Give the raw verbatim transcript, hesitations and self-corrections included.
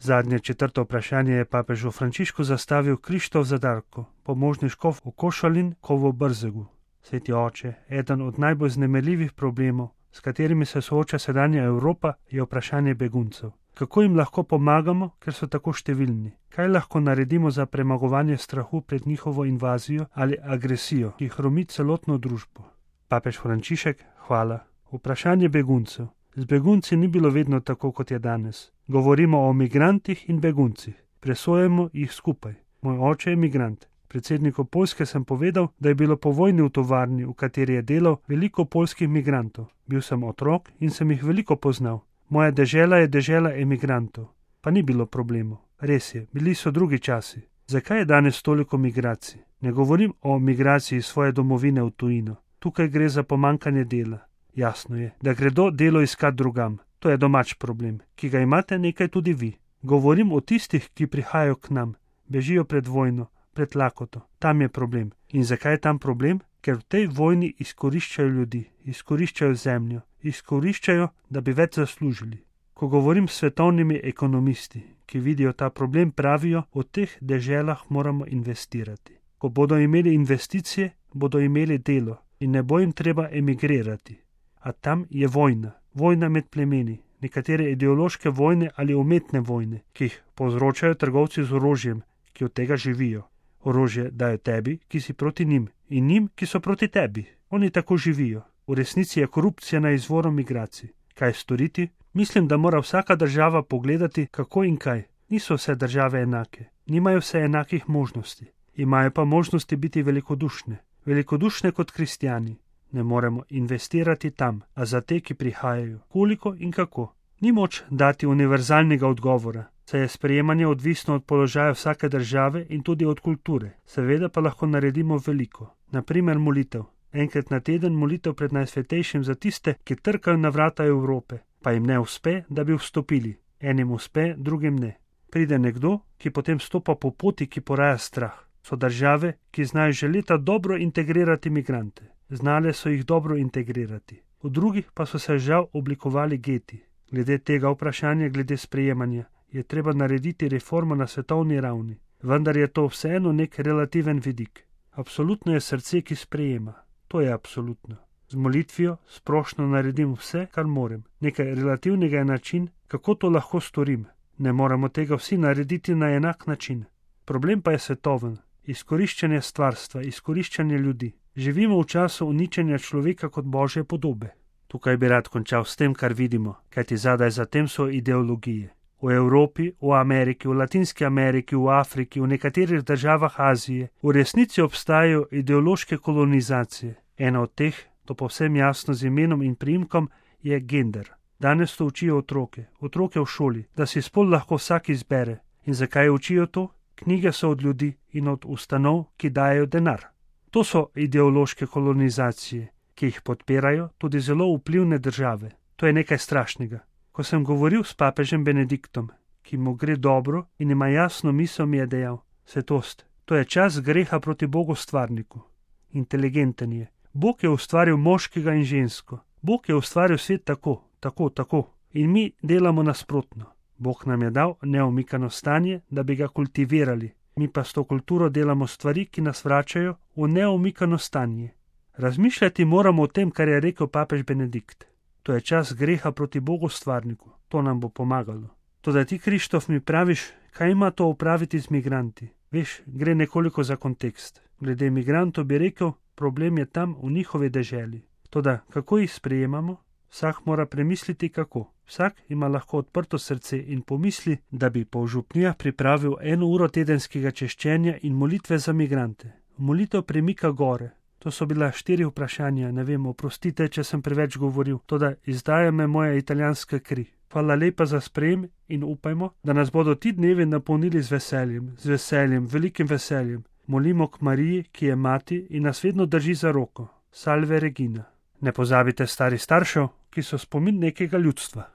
Zadnje četrto vprašanje je papežu Frančišku zastavil Krištof Zadarko, pomožni škof v Košalin, Kovo Brzegu. Sveti oče, eden od najbolj vznemirljivih problemov, s katerimi se sooča sedanja Evropa, je vprašanje beguncev. Kako jim lahko pomagamo, ker so tako številni? Kaj lahko naredimo za premagovanje strahu pred njihovo invazijo ali agresijo, ki hromi celotno družbo? Papež Frančišek, hvala. Vprašanje beguncev. Z begunci ni bilo vedno tako, kot je danes. Govorimo o migrantih in beguncih. Presojamo jih skupaj. Moj oče je migrant. Predsedniku Poljske sem povedal, da je bilo po vojni v tovarni, v kateri je delal, veliko poljskih migrantov. Bil sem otrok in sem jih veliko poznal. Moja dežela je dežela emigrantov. Pa ni bilo problemov. Res je, bili so drugi časi. Zakaj je danes toliko migracij? Ne govorim o migraciji iz svoje domovine v tujino. Tukaj gre za pomankanje dela. Jasno je, da gredo delo iskat drugam. To je domač problem, ki ga imate nekaj tudi vi. Govorim o tistih, ki prihajajo k nam. Bežijo pred vojno, pred lakoto. Tam je problem. In zakaj je tam problem? Ker v tej vojni izkoriščajo ljudi, izkoriščajo zemljo, izkoriščajo, da bi več zaslužili. Ko govorim s svetovnimi ekonomisti, ki vidijo ta problem, pravijo, v teh deželah moramo investirati. Ko bodo imeli investicije, bodo imeli delo in ne bo jim treba emigrirati. A tam je vojna, vojna med plemeni, nekatere ideološke vojne ali umetne vojne, ki jih povzročajo trgovci z orožjem, ki od tega živijo. Orožje dajo tebi, ki si proti njim, in njim, ki so proti tebi. Oni tako živijo. V resnici je korupcija na izvoru migracij. Kaj storiti? Mislim, da mora vsaka država pogledati, kako in kaj. Niso vse države enake, nimajo vse enakih možnosti. Imajo pa možnosti biti velikodušne. Velikodušne kot kristjani. Ne moremo investirati tam, a za te, ki prihajajo. Koliko in kako? Ni moč dati univerzalnega odgovora, saj je sprejemanje odvisno od položaja vsake države in tudi od kulture. Seveda pa lahko naredimo veliko. Naprimer molitev. Enkrat na teden molitev pred Najsvetejšim za tiste, ki trkajo na vrata Evrope, pa jim ne uspe, da bi vstopili. Enim uspe, drugim ne. Pride nekdo, ki potem stopa po poti, ki poraja strah. So države, ki znajo že leta dobro integrirati migrante. Znale so jih dobro integrirati. V drugih pa so se žal oblikovali geti. Glede tega vprašanja, glede sprejemanja, je treba narediti reformo na svetovni ravni. Vendar je to vseeno nek relativen vidik. Absolutno je srce, ki sprejema. To je absolutno. Z molitvijo splošno naredim vse, kar morem. Nekaj relativnega je način, kako to lahko storim. Ne moramo tega vsi narediti na enak način. Problem pa je svetoven. Izkoriščanje stvarstva, izkoriščanje ljudi. Živimo v času uničenja človeka kot božje podobe. Tukaj bi rad končal s tem, kar vidimo, kajti zadaj za tem so ideologije. V Evropi, v Ameriki, v Latinski Ameriki, v Afriki, v nekaterih državah Azije v resnici obstajajo ideološke kolonizacije. Ena od teh, to povsem jasno z imenom in priimkom, je gender. Danes to učijo otroke, otroke v šoli, da si spol lahko vsak izbere. In zakaj učijo to? Knjige so od ljudi in od ustanov, ki dajo denar. To so ideološke kolonizacije, ki jih podpirajo tudi zelo vplivne države. To je nekaj strašnega. Ko sem govoril s papežem Benediktom, ki mu gre dobro in ima jasno misel, mi je dejal: svetost, to je čas greha proti Bogu stvarniku. Inteligenten je. Bog je ustvaril moškega in žensko. Bog je ustvaril svet tako, tako, tako. In mi delamo nasprotno. Bog nam je dal neomikano stanje, da bi ga kultivirali. Mi pa s to kulturo delamo stvari, ki nas vračajo v neomikano stanje. Razmišljati moramo o tem, kar je rekel papež Benedikt. To je čas greha proti Bogu stvarniku. To nam bo pomagalo. Toda ti, Krištof, mi praviš, kaj ima to opraviti z migranti? Veš, gre nekoliko za kontekst. Glede migrantov bi rekel, problem je tam v njihovi deželi. Toda kako jih sprejemamo? Vsak mora premisliti kako. Vsak ima lahko odprto srce in pomisli, da bi po župnijah pripravil eno uro tedenskega češčenja in molitve za migrante. Molitev premika gore. To so bila štiri vprašanja, ne vem, oprostite, če sem preveč govoril, toda izdaja me moja italijanska kri. Hvala lepa za sprejem in upajmo, da nas bodo ti dnevi napolnili z veseljem, z veseljem, velikim veseljem. Molimo k Mariji, ki je mati in nas vedno drži za roko. Salve Regina. Ne pozabite starih staršev, ki so spomin nekega ljudstva.